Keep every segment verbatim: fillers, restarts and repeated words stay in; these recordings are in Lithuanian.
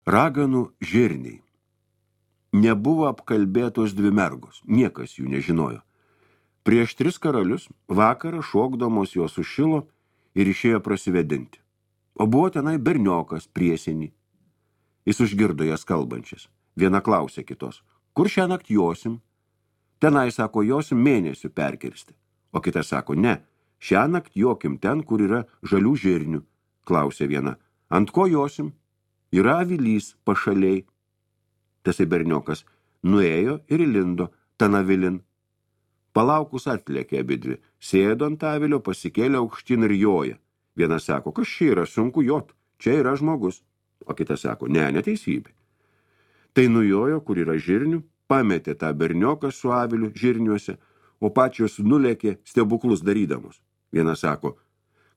Raganų žirniai. Nebuvo apkalbėtos dvi mergos, niekas jų nežinojo. Prieš tris karalius vakarą šokdamos jos sušilo ir išėjo prasivedinti. O buvo tenai berniokas priesenį. Jis užgirdo jas kalbančias. Viena klausė kitos, kur šią naktį josim? Tenai, sako, josim mėnesių perkirsti. O kita sako, ne, šią naktį jokim ten, kur yra žalių žirnių. Klausė viena, ant ko josim? Yra avilys pašaliai. Tasai berniokas nuėjo ir įlindo tan avilin. Palaukus atlėkė abidvi, sėdo ant avilio, pasikėlė aukštyn ir joja. Viena sako, kas čia yra, sunku jot, čia yra žmogus. O kita sako, ne, neteisybė. Tai nujojo, kur yra žirnių, pametė tą bernioką su aviliu žirniuose, o pačios nulėkė stebuklus darydamos. Viena sako,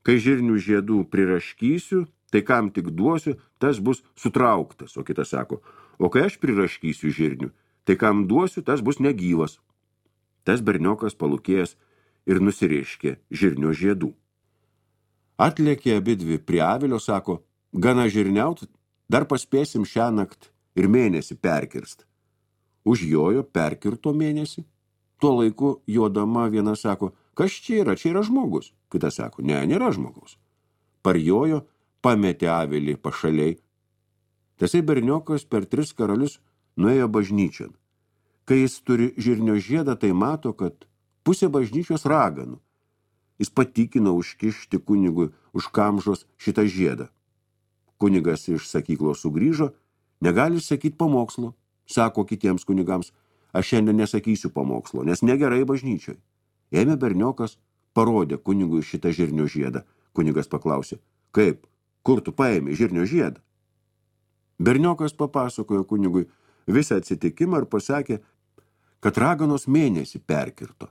kai žirnių žiedų priraškysiu, tai kam tik duosiu, tas bus sutrauktas. O kita sako, o kai aš priraškysiu žirnių, tai kam duosiu, tas bus negyvas. Tas berniokas palūkėjęs ir nusiriškė žirnio žiedų. Atlėkė abidvi prie avilio, sako, gana žirniaut, dar paspėsim šią nakt ir mėnesį perkirst. Užjojo perkirto mėnesį. Tuo laiku jodama viena sako, kas čia yra, čia yra žmogus. Kita sako, ne, nėra žmogaus. Parjojo, pametė avilį pašaliai. Tasai berniokas per tris karalius nuėjo bažnyčion. Kai jis turi žirnio žiedą, tai mato, kad pusė bažnyčios raganų. Jis patikino užkišti kunigui už kamžos šitą žiedą. Kunigas iš sakyklos sugrįžo, negali sakyti pamokslo. Sako kitiems kunigams, aš šiandien nesakysiu pamokslo, nes negerai bažnyčioj. Ėmė berniokas, parodė kunigui šitą žirnio žiedą. Kunigas paklausė, kaip, kur tu paėmė žirnio žiedą? Berniokas papasakojo kunigui visą atsitikimą ir pasakė, kad raganos mėnesį perkirto.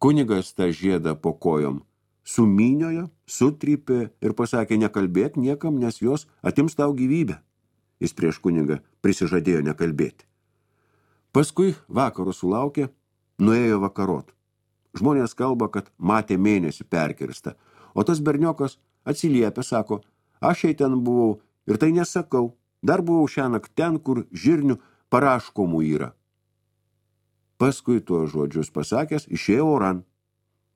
Kunigas tą žiedą po kojom sumyniojo, sutrypė ir pasakė, nekalbėk niekam, nes jos atims tau gyvybę. Jis prieš kunigą prisižadėjo nekalbėti. Paskui vakaro sulaukė, nuėjo vakarot. Žmonės kalba, kad matė mėnesį perkirstą, o tas berniokas atsiliepė, sako, aš jai ten buvau ir tai nesakau, dar buvau šiąnakt ten, kur žirnių paraškomų yra. Paskui tuos žodžius pasakęs, išėjo oran.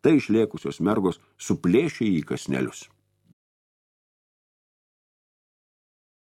Tai išlėkusios mergos suplėšė į kasnelius.